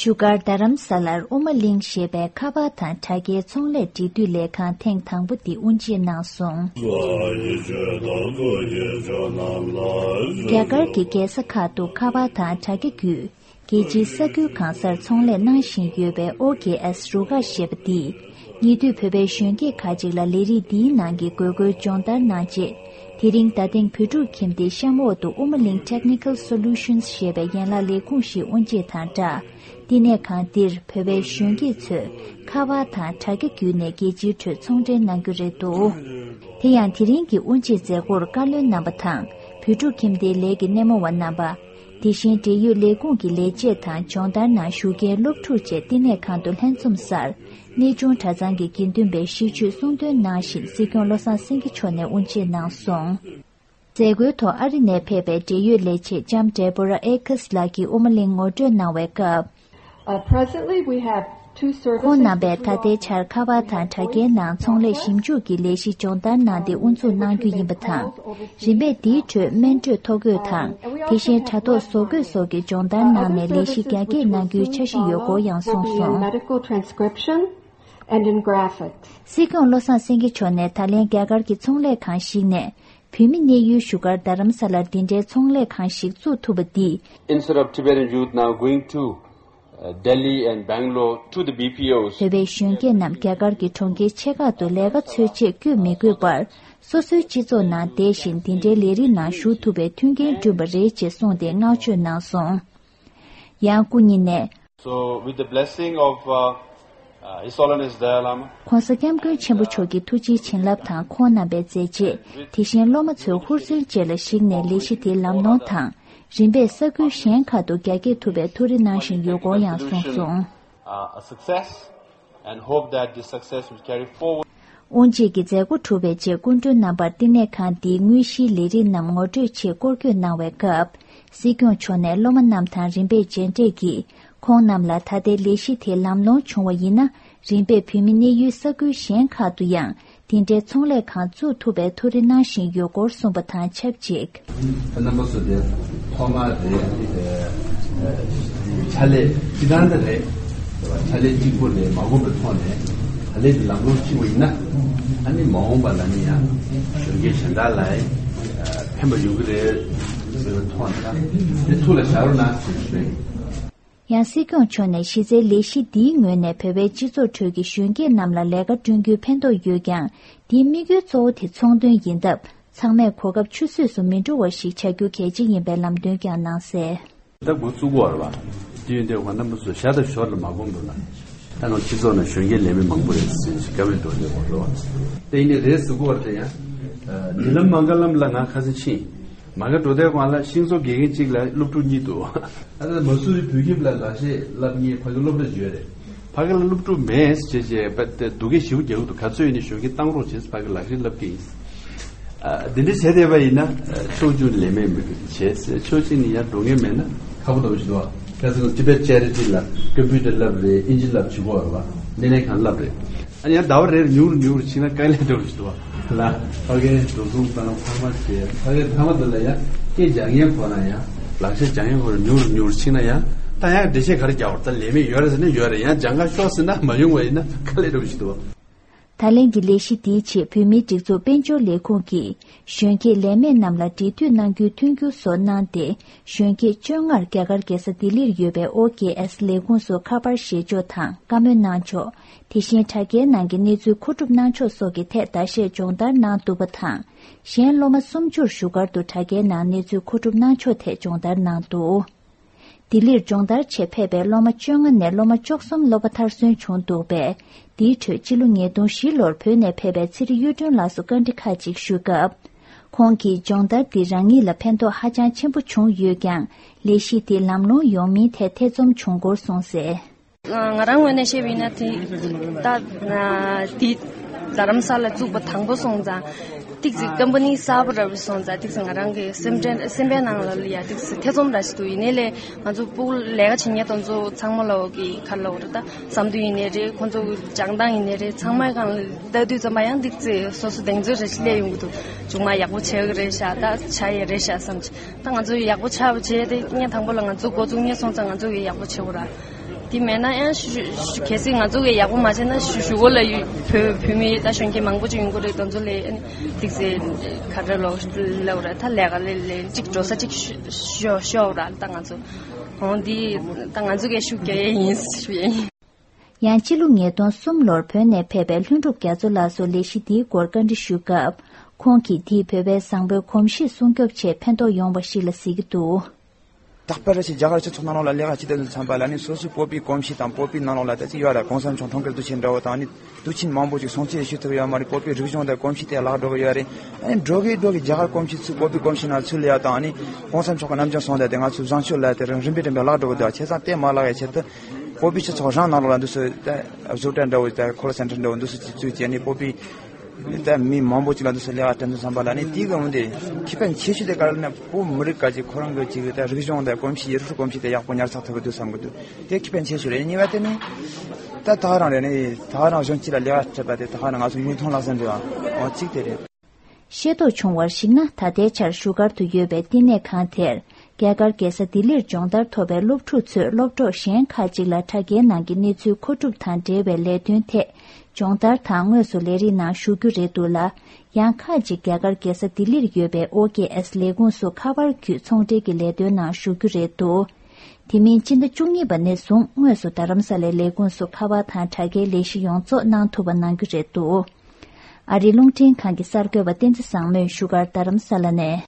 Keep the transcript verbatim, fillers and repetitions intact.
བཞུགས་སྒར་རྡ་རམ་ས་ལར་དབུ་མ་གླིང་ཞེས་པའི་ཁ་པར་དང་དྲ་རྒྱའི་ཚོང་ལས་འབྲེལ་མཐུད་ལས་ཁང་ཐེངས་དང་པོ་འདི་དབུ་འབྱེད་གནང་སོང་། རྒྱ་གར་གྱི་རྒྱལ་ས་ཁག་ཏུ་ཁ་པར་དང་དྲ་རྒྱ་བརྒྱུད། རྒྱལ་སྤྱིའི་ས་ཁུལ་གང་སར་ཚོང་ལས་གནང་བཞིན་ཡོད་པའི་ཨོ་ཀེ་ཨེས་རུ་ཁག་ཞེས་པ་འདིས། ཉེ་དུས་བོད་པའི་གཞོན་སྐྱེས་ཁག་ཅིག་ལ་ལས་རིགས་འདིའི་ནང་གི་དགོས་མཁོའི་སྦྱོང་བརྡར་གནང་རྗེས། དེ་རིང་རྡ་སྟེང་བོད་ཕྲུག་ཁྱིམ་སྡེའི་གཤམ་འོག་ཏུ་དབུ་མ་གླིང་Technical Solutions ཞེས་པའི་ཡན་ལག་ལས་ཁུངས་ཤིག་དབུ་འབྱེད་དང་སྦྲགས། བསྟི་གནས་ཁང་འདིར་བོད་པའི་གཞོན་སྐྱེས་ཚོས་ཁ་པར་དང་དྲ་རྒྱ་བརྒྱུད་ནས་རྒྱལ་སྤྱིའི་ཁྲོད་ཚོང་འབྲེལ་གནང་རྒྱུ་རེད་འདུག་དེ་ཡང་དེ་རིང་གི་དབུ་འབྱེད་མཛད་སྒོར་བཀའ་བློན་རྣམ་པ་དང་བོད་ཕྲུག་ཁྱིམ་སྡེའི་ལས་ཀྱི་སྣེ་མོ་བ་རྣམ་པ། དེ་བཞིན་འབྲེལ་ཡོད་ལས་ཁུངས་ཀྱི་ལས་བྱེད་དང་སྦྱོང་བརྡར་ནང་ཞུགས་མཁན་སློབ་ཕྲུག་བཅས་བསྟི་གནས་ཁང་དུ་ལྷན་འཛོམས་སར། གནས་ཆུང་གྲྭ་ཚང་གི་དགེ་འདུན་པས་ཤིས་བརྗོད་གསུང་འདོན་གནང་བཞིན་སྲིད་སྐྱོང་བློ་བཟང་སེང་གེ་མཆོག་ནས་དབུ་འབྱེད་གནང་སོང་། མཛད་སྒོའི་ཐོག་ཨ་རི་ནས་ཕེབས་པའི་འབྲེལ་ཡོད་ལས་བྱེད་ལྕམ་Deborah Akers ལགས་ཀྱིས་དབུ་མ་གླིང་ངོ་སྤྲོད་གནང་བའི་སྐབས། Uh, presently, we have two services ཁོང་རྣམ་པས་ད་ལྟའི་ཆར་ཁ་པར་དང་དྲ་རྒྱའི་ནང་ཚོང་ལས་ཞིབ་འཇུག་གི་ལས་གཞི་སྦྱོང་བརྡར་གནང་སྟེ་དབུ་འཛུགས་གནང་རྒྱུ་ཡིན་པ་དང་། རིམ་པས་འདིའི་ཁྲོད་སྨན་སྤྲོད་ཐོ་འགོད་དང་། དེ་བཞིན་དྲ་ཐོག་བཟོ་འགོད་སོགས་ཀྱི་སྦྱོང་བརྡར་གནང་ནས་ལས་གཞི་རྒྱ་སྐྱེད་གནང་རྒྱུའི་འཆར་གཞི་ཡོད་སྐོར་ཡང་གསུངས་སོང་། Medical transcription and in graphics. སྲིད་སྐྱོང་བློ་བཟང་སེང་གེ་མཆོག་ནས་ད་ལན་རྒྱ་གར་གྱི་ཚོང་ལས་ཁང་ཞིག་ནས། བོད་མི་གནས་ཡུལ་བཞུགས་སྒར་རྡ་རམ་ས་ལར་འདི་འདྲའི་ཚོང་ལས་ཁང་ཞིག་བཙུགས་ཐུབ་པ་འདིས། Instead of Tibetan youth now going to, uh, Delhi and Bangalore to the B P Os. བོད་པའི་གཞོན་སྐྱེས་རྣམས་རྒྱ་གར་གྱི་གྲོང་ཁྱེར་ཆེ་ཁག་ཏུ་ལས་ཀ་འཚོལ་ཆེད་བསྐྱོད་མི་དགོས་པར། སོ་སོའི་སྤྱི་ཚོགས་ནང་བསྡད་བཞིན་འདི་འདྲའི་ལས་རིགས་ནང་ཞུགས་ཐུབ་པའི་མཐུན་རྐྱེན་བསྐྲུན་པ་རེད་ཅེས་གསུངས་ཏེ་བསྔགས་བརྗོད་གནང་སོང་། ཡང་སྐུ་ཉིད་ནས། So, with the blessing of, uh, uh, His Holiness Dalai Lama, ྋགོང་ས་ྋསྐྱབས་མགོན་ཆེན་པོ་མཆོག་གི་ཐུགས་རྗེའི་བྱིན་རླབས་དང་ཁོང་རྣམ་པའི་མཛད་རྗེས། དེ་བཞིན་སློབ་མ་ཚོའི་ཧུར་བརྩོན་བཅས་ལ་གཞིགས་ནས་ལས་གཞི་དེ་ལམ་ལྷོང་དང་། རིམ་པས་ས་ཁུལ་གཞན་ཁག་ཏུ་རྒྱ་སྐྱེད་ཐུབ་པའི་ཐུགས་རེ་གནང་བཞིན་ཡོད་སྐོར་ཡང་གསུངས་སོང་། Uh, a success and hope that this success will carry forward. དབུ་འབྱེད་ཀྱི་མཛད་སྒོ་གྲུབ་པའི་རྗེས་སྐུ་མགྲོན་རྣམ་པར་བསྟི་གནས་ཁང་འདིའི་དངོས་གཞིའི་ལས་རིགས་རྣམས་ངོ་སྤྲོད་ཆེད་སྐོར་སྐྱོད་གནང་བའི་སྐབས། སྲིད་སྐྱོང་མཆོག་ནས་སློབ་མ་རྣམས་དང་རིམ་པས་མཇལ་འཕྲད་ཀྱིས། ཁོང་རྣམས་ལ་ད་ལྟའི་ལས་གཞི་དེ་ལམ་ལྷོང་བྱུང་བ་ཡིན་ན། རིམ་པས་བོད་མི་གནས་ཡུལ་ས་ཁུལ་གཞན་ཁག་ཏུ་ཡང་། དེ་འདྲའི་ཚོང་ལས་ཁང་བཙུགས་ཐུབ་པའི་ཐུགས་རེ་གནང་བཞིན་ཡོད་སྐོར་གསུངས་པ་དང་ཆབས་ཅིག་རྣམ་པ་ཚོ་དེ་ཐོག་མ་རེད། ཨ་ནི་དེ་ཕྱག་ལས་སྤྱི་བཏང་དེ་རེད། ཕྱག་ལས་གཅིག་པོ་ལས་མ་གོམས་པའི་ཐོག་ནས་ད་ལས་ཀྱི་ལམ་ལྷོང་ཕྱིན་པ་ཡིན་ན། ཨ་ནི་མ་འོངས་པ་ལ་ནི་ཡང་གཞོན་སྐྱེས་གཞན་དག་ལ་ཕན་པ་ཡོང་གི་རེད་ཟེར་བའི་ཐོག་ནས་དེ་ཐུགས་ལ་བཞག་རོགས་གནང་ཞེས་ཞུ་ཡིན། ཡང་སྲིད་སྐྱོང་མཆོག་ནས་གཞི་རྩའི་ལས་གཞི་འདིའི་ངོས་ནས་བོད་པའི་སྤྱི་ཚོགས་ཁྲོད་ཀྱི་གཞོན་སྐྱེས་རྣམས་ལ་ལས་ཀ་བསྐྲུན་རྒྱུའི་ཕན་ཐོགས་ཡོད་ཀྱང་། འདིའི་དམིགས་ཡུལ་གཙོ་བོ་དེ་ཚོང་དོན་ཡིན་སྟབས། ཚང་མས་གོ་སྐབས་ཆུད་ཟོས་སུ་མི་འགྲོ་བ་ཞིག་བྱ་རྒྱུ་གལ་ཆེ་ཡིན་པའི་ལམ་སྟོན་ཀྱང་གནང་གསལ། ད་འགོ་བཙུགས་དགོས་རེད་པ། དེ་ཡིན་དུས་ང་རྣམ་པ་ཚོ་ཞར་དང་ཞོར་ལ་མ་གོམས་འདུག་ན། ད་ང་སྤྱི་ཚོགས་ནང་གཞོན་སྐྱེས་ལས་མེད་མང་པོ་རེད་ཟེར་བཀའ་མོལ་འགྲོ་བསྡད་ཡོད་རེད་པ། དེ་ཡིན་ནའི་རེད་ཟེར་དགོས་རེད་ཡ། ཉེ་ལམ་མ་ག་ལམ་ལ་ང་ཁ་སང་ཕྱིན། མ་ག་འགྲོ་དུས་སྒང་ལ་ཤིང་བཟོ་དགེ་རྒན་གཅིག་ལ་སློབ་ཕྲུག་གཉིས་འདུག་ཨ་ད་མ་སུ་རི་བོད་ཁྱིམ་ལ་ལག་ཤེས་བསླབ་མཁན་ཕ་གི་སློབ་གྲྭ་ཅིག་ཡོད་རེད། ཕ་གི་ལ་སློབ་ཕྲུག་མེད་ཟེར་བྱས་བྱས་པ་དེ་སྡུག་སྐད་ཞེ་པོ་རྒྱག་གི་འདུག་ག་ཚོད་ཡིན་ནའི་གཞོན་སྐྱེས་བཏང་རོགས་བྱས་ཕ་གི་ལག་ཤེས་བསླབ་ཀྱི་ཡིན། ཨ་འདི་འདྲ་བྱས་བསྡད་པ་ཡིན་ན་ཕྱོགས་བཅུ་ནས་ལས་མེད་མི་བྱས་ཕྱོགས་གཅིག་ནས་ཡར་འགྲོ་མཁན་མེད་ན་ཁག་པོ་འདྲ་བོ་ཞིག་འདུག་ཁ་སང་Tibet Charity ལ་ཀམ་པུ་ཊར་བསླབ་རེད། ཨིན་ཇི་བསླབ་བྱེད་དགོས་རེད་པ། སྣེ་ལེན་ཁང་བསླབ་རེད། ཨ་ནི་ཡང་ཟླ་བ་རེར་ཉུང་རུ་ཉུང་རུ་ཕྱིན་ན་དཀའ་ལས་འགྲོ་རུ་ཞིག་འདུག་བ། ལ། ཕ་གིའི་འགྲོ་སོང་བཏང་ཚང་མ་བྱས་ཕ་གིར་ཚང་མ་དེ་ལ་ཡང་སྐད་སྦྱང་མཁན་ཁོ་ན་ཡང་། ལག་ཤེས་སྦྱང་མཁན་ཁོ་ན་ཉུང་རུ་ཉུང་རུ་ཕྱིན་ན་ཡང་ད་ཡང་འགྲེལ་བཤད་ག་རེ་རྒྱག་བར་ད་ལས་མེད་ཡོད་རེད་ཟེར་ན་ཡོད་རེད། ཡང་སྦྱང་ག་ཤོག་ཟེར་ན་མ་ཡོང་བ་ཡིན་ན་དཀའ་ལས་འགྲོ་གི་ཞིག་འདུག་བ། ད་ལན་གྱི་ལས་གཞི་འདིའི་ཆེད་བོད་མིའི་སྒྲིག་འཛུགས་དཔལ་འབྱོར་ལས་ཁུངས་ཀྱིས། གཞོན་སྐྱེས་ལས་མེད་རྣམས་ལ་འབྲེལ་མཐུད་གནང་རྒྱུའི་མཐུན་འགྱུར་སོགས་གནང་སྟེ། གཞོན་སྐྱེས་བཅོ་ལྔར་རྒྱ་གར་རྒྱལ་ས་ལྡི་ལིར་ཡོད་པའི་ཨོ་ཀེ་ཨེས་ལས་ཁུངས་སུ་ཁ་པར་བཞེས་ཕྱོགས་དང་བཀའ་མོལ་གནང་ཕྱོགས། དེ་བཞིན་དྲ་རྒྱའི་ནང་གི་གནས་ཚུལ་མཁོ་སྒྲུབ་གནང་ཕྱོགས་སོགས་ཀྱི་ཐད་ཟླ་ཤས་སྦྱོང་བརྡར་གནང་འདུག་པ་དང་། གཞན་སློབ་མ་སུམ་ཅུར་བཞུགས་སྒར་དུ་དྲ་རྒྱའི་ནང་གནས་ཚུལ་མཁོ་སྒྲུབ་གནང་ཕྱོགས་ཐད་སྦྱོང་བརྡར་གནང་འདུག་ལྡི་ལིར་སྦྱོང་བརྡར་ཆེད་ཕེབས་པའི་སློབ་མ་བཅོ་ལྔ་ནས་སློབ་མ་བཅུ་གསུམ་སློབ་པ་མཐར་སོན་བྱུང་འདུག་པས། འདིའི་ཁྲོད་སྤྱི་ལོ་ཉིས་སྟོང་བཞི་ལོར་བོད་ནས་ཕེབས་པའི་ཚེ་རིང་གཡུ་སྒྲོན་ལགས་སུ་བཀའ་འདྲི་ཁག་ཅིག་ཞུས་སྐབས། ཁོང་གིས་སྦྱོང་བརྡར་འདིས་རང་ཉིད་ལ་ཕན་ཐོགས་ཧ་ཅང་ཆེན་པོ་བྱུང་ཡོད་ཀྱང་། ལས་གཞི་དེ་ལམ་ལྷོང་ཡོང་མིན་ཐད་ཐེ་ཚོམ་བྱུང་སྐོར་གསུངས་གསལ། ང་རང་ངོས་ནས་བཤད་པ་ཡིན་ན་དེ་ད་དེ་རྡ་རམ་ས་ལ་བཙུགས་པ་དང་པོ་སོང་ཙང་ཏིག་ཙི་ཀམ་པ་ནི་གསར་པ་ར་བ་སོང་ཙང་ཏིག་ཙི་ང་རང་གི་སེམས་ཁྲལ་སེམས་པའི་ནང་ལ་ཡ་ཏིག་ཙི་ཐེ་ཚོམ་ར་ཞིག་འདུག་ཡིན་ནའི་ལས་ང་ཚོ་ཕྲུ་གུ་ལས་ཀ་བྱེད་མཁན་དེ་ཚོ་ཚང་མ་ལ་འོ་གི་ག་ལ་འོ་ར་ད་བསམ་ཚུལ་ཡིན་ནའི་རེད། ཁོང་ཚོ་གི་སྦྱང་སྟངས་ཡིན་ནའི་རེད། ཚང་མའི་སྒང་ལ་ལྟ་དུས་ཙམ་པ་ཡང་ཏིག་ཙི་སོ་སོ་གདེང་ཚོད་རེ་ཞིག་སླེབས་ཡོང་གི་འདུག་མཇུག་མ་ཡག་པོ་བྱེད་གི་རེད་ཤག་ད་བྱ་ཡི་རེད་ཤག་བསམ་གྱི། ད་ང་ཚོ་ཡག་པོ་ཆགས་པ་བྱས་ཏེ་ངས་དང་པོ་ལ་ང་ཚོ་འགོ་བཙུགས་ངས་སོང་ཙང་ང་ཚོ་གི་ཡག་པོ་བྱེད་དགོས་ར། དེ་མེད་ན་ཡང་ཞུ་ཞུ་གལ་སྲིད་ང་ཚོ་གི་ཡག་པོ་མ་བྱས་ན་ཞུ་ཞུ་གོ་ལ་ཡུ་བོད་བོད་མི་ད་གཞོན་སྐྱེས་མང་པོ་ཅིག་ཡོང་གི་རེད། དེ་ཚོ་ལས་ཨ་ནི་ཏིག་ཙེ་ག་འདྲ་ལོག་ལབ་ར་ད་ལས་ཀ་ལས་ལས་ཅིག་འགྲོ་ས་ཅིག་ཤོ་ཤོ་ཤོག་ར། ད་ང་ཚོ་ཧོང་འདི་ད་ང་ཚོ་གི་ཤུགས་རྒྱག་ཡས་ཡིན་ཞུ་ཡས་ཡིན། ཡང་སྤྱི་ལོ་ཉིས་སྟོང་གསུམ་ལོར་བོད་ནས་ཕེབས་པའི་ལྷུན་གྲུབ་རྒྱ་མཚོ་ལགས་སུ་ལས་གཞི་འདིའི་སྐོར་བཀའ་འདྲི་ཞུས་སྐབས། ཁོང་གིས་འདིས་བོད་པའི་བཟང་པོའི་གོམས་གཤིས་སྲུང་སྐྱོབ་ཆེད་ཕན་ཐོགས་ཡོང་བ་ཞིག་ལ་གཟིགས་ཀྱི་འདུག། རྟག་པར་རེ་ཞིག་རྒྱ་གར་སྤྱི་ཚོགས་ནང་ལོགས་ལ་ལས་ཀ་བྱེད་དུས་མཚམས་པ་ལ་ནི་སོ་སོའི་བོད་པའི་གོམས་གཤིས་དང་བོད་པའི་ནང་ལོགས་ལ་ད་ཅི་ཡོད་ར། གོང་ས་མཆོག་འཁྲུངས་སྐར་དུས་ཆེན་འདྲ་བོ་དང་ནི་དུས་ཆེན་མང་པོ་ཅིག་སྲུང་བརྩི་ཞུ་ཐུབ་ཡོད་མ་རེད། བོད་པའི་རིག་གཞུང་དང་གོམས་གཤིས་དེ་བརླག་འགྲོ་གི་ཡོད་རེད། ཨ་ནི་འགྲོ་གི་འགྲོ་གི་རྒྱ་གར་གོམས་གཤིས་ཚུར་བོད་པའི་གོམས་གཤིས་ནང་ཚུར་ལ་ཡ་དང་ནི་གོང་ས་མཆོག་གི་རྣམ་འགྱུར་སོང་དེ་དེ་ང་ཚོའི་བཟང་སྤྱོད་ལ་དེ་རིམ་པས་རིམ་པས་བརླག་འགྲོ་གི་འདུག། བྱས་ཙང་དེ་མ་བརླག་ཡ་ཆེད་དུ་བོད་པའི་སྤྱི་ཚོགས་རང་ནང་ལོགས་ལ་འདུག་སེ་ད་བཟོ་གྲྭ་འདྲ་བོ་དང་ཁོ་ལ་སེན་ཊར་འདྲ་བོ་འདུག་སེ་ཅིག་བཙུགས་བྱས་ནས་བོད་པའི་ད་མི་མང་པོ་ཅིག་ལ་འདུག་སེ་ལས་ཀ་སྤྲད་འདུག་བསམ་པ་ལ་ནི་དེའི་སྒང་དེ་ཁེ་ཕན་ཆེ་ཤོས་དེ་ག་རེ་ན་བོད་མི་རིགས་ག་ཅིག་ཁོ་རང་གི་ཅིག་ད་རིག་གཞུང་དང་གོམས་གཤིས་ཡུལ་སྲོལ་གོམས་གཤིས་དེ་ཡག་པོ་ཉར་ཚགས་ཐུབ་ཀྱི་འདུག་བསམ་གྱི་འདུག། དེ་ཁེ་ཕན་ཆེ་ཤོས་རེད། གཉིས་པ་དེ་ནི་ད་ད་ག་རང་རེད། ནི་ད་ག་རང་གཞོན་སྐྱེས་ལ་ལས་ཀ་སྤྲད་པ་དེ་ད་ག་རང་ང་ཚོ་མིག་མཐོང་ལག་ཟིན་རེད་བ། འོ་གཅིག་དེ་རེད། ཤེས་རྟོགས་བྱུང་བར་གཞིགས་ན། ད་ལྟའི་ཆར་བཞུགས་སྒར་དུ་ཡོད་པའི་བསྟི་གནས་ཁང་དེར། རྒྱ་གར་རྒྱལ་ས་ལྡི་ལིར་སྦྱོང་བརྡར་ཐོབ་པའི་སློབ་ཕྲུག་ཚོས་སློབ་གྲོགས་གཞན་ཁག་ཅིག་ལ་དྲ་རྒྱའི་ནང་གི་གནས་ཚུལ་མཁོ་སྒྲུབ་དང་འབྲེལ་བའི་ལས་དོན་ཐད་སྦྱོང་བརྡར་དང་དངོས་སུ་ལས་རིགས་ནང་ཞུགས་རྒྱུ་རེད་འདུག་ལ། ཡང་ཁག་ཅིག་རྒྱ་གར་རྒྱལ་ས་ལྡི་ལིར་ཡོད་པའི་ཨོ་ཀེ་ཨེས་ལས་ཁུངས་སུ་ཁ་པར་བརྒྱུད་ཚོང་འབྲེལ་གྱི་ལས་དོན་ནང་ཞུགས་རྒྱུ་རེད་འདུག། དེ་མིན་སྤྱི་ཟླ་བཅུ་གཉིས་པ་ནས་བཟུང་དངོས་སུ་རྡ་རམ་ས་ལའི་ལས་ཁུངས་སུ་ཁ་པར་དང་དྲ་རྒྱའི་ལས་གཞི་ཡོངས་རྫོགས་གནང་ཐུབ་པ་གནང་རྒྱུ་རེད་འདུག། ཨ་རིའི་རླུང་འཕྲིན་ཁང་གི་གསར་འགོད་པ་བསྟན་འཛིན་བཟང་མོས་བཞུགས་སྒར་རྡ་རམ་ས་ལ་ནས།